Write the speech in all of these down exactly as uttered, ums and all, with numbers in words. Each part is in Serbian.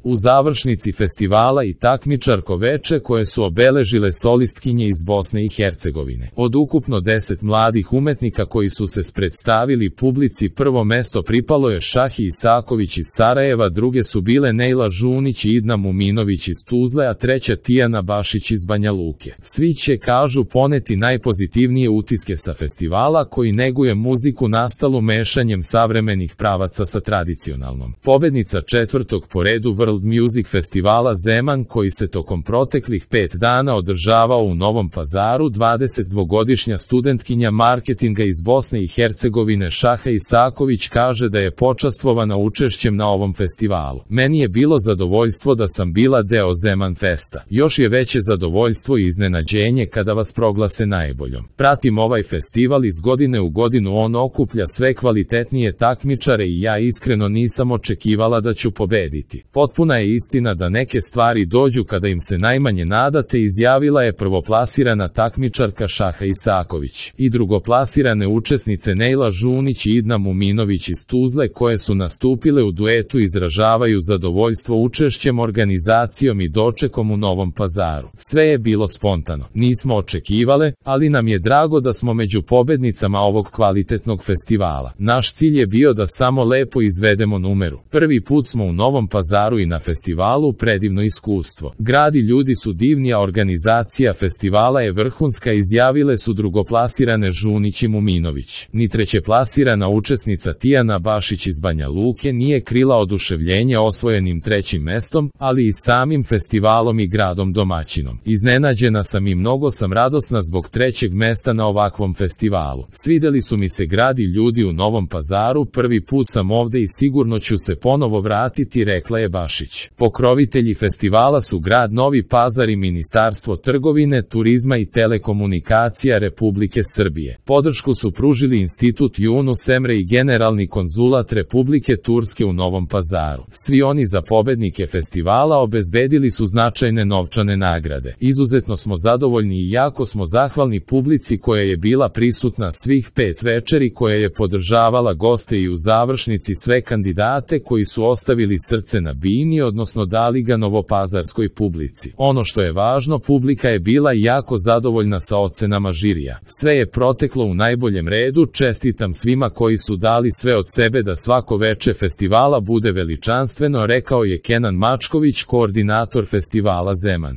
U završnici festivala i takmičarko veče koje su obeležile solistkinje iz Bosne i Hercegovine. Od ukupno deset mladih umetnika koji su se predstavili publici, prvo mesto pripalo je Šahi Isaković iz Sarajeva, druge su bile Nejla Žunić i Idna Muminović iz Tuzle, a treća Tijana Bašić iz Banja Luke. Svi će, kažu, poneti najpozitivnije utiske sa festivala koji neguje muziku nastalu mešanjem savremenih pravaca sa tradicionalnom. Pobednica četvrtog po redu World Music Festivala Zeman, koji se tokom proteklih pet dana održavao u Novom Pazaru, dvadesetdvogodišnja studentkinja marketinga iz Bosne i Hercegovine Šaha Isaković kaže da je počastvovana učešćem na ovom festivalu. Meni je bilo zadovoljstvo da sam bila deo Zeman Festa. Još je veće zadovoljstvo i iznenađenje kada vas proglase najboljom. Pratim ovaj festival iz godine u godinu, on okuplja sve kvalitetnije takmičare i ja iskreno nisam očekivala da ću pobediti. Potpuna je istina da neke stvari dođu kada im se najmanje nadate, izjavila je prvoplasirana takmičarka Šaha Isaković. I drugoplasirane učesnice Nejla Žunić i Idna Muminović iz Tuzle, koje su nastupile u duetu, izražavaju zadovoljstvo učešćem, organizacijom i dočekom u Novom Pazaru. Sve je bilo spontano. Nismo očekivale, ali nam je drago da smo među pobednicama ovog kvalitetnog festivala. Naš cilj je bio da samo lepo izvedemo numeru. Prvi put smo u Novom Pazaru i na festivalu, predivno iskustvo. Grad i ljudi su divni, a organizacija festivala je vrhunska, izjavile su drugoplasirane Žunić i Muminović. Ni trećeplasirana učesnica Tijana Bašić iz Banja Luke nije krila oduševljenje osvojenim trećim mestom, ali i samim festivalom i gradom domaćinom. Iznenađena sam i mnogo sam radosna zbog trećeg mesta na ovakvom festivalu. Svideli su mi se grad i ljudi u Novom Pazaru, prvi put sam ovde i sigurno ću se ponovo vratiti, rekla je Bašić. Pokrovitelji festivala su grad Novi Pazar i Ministarstvo trgovine, turizma i telekomunikacija Republike Srbije. Podršku su pružili Institut Yunus Emre i Generalni konzulat Republike Turske u Novom Pazaru. Svi oni za pobednike festivala obezbedili su značajne novčane nagrade. Izuzetno smo zadovoljni i jako smo zahvalni publici koja je bila prisutna svih pet večeri, koja je podržavala goste i u završnici sve kandidate koji su ostavili srce na bini, odnosno dali ga novopazarskoj publici. Ono što je važno, publika je bila jako zadovoljna sa ocenama žirija. Sve je proteklo u najboljem redu, čestitam svima koji su dali sve od sebe da svako veče festivala bude veličanstveno, rekao je Kenan Mačković, koordinator festivala Zeman.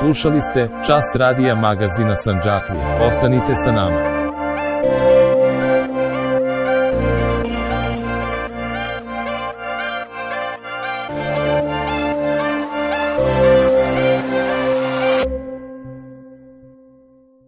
Slušali ste Čas radija magazina Sandžaklija. Ostanite sa nama.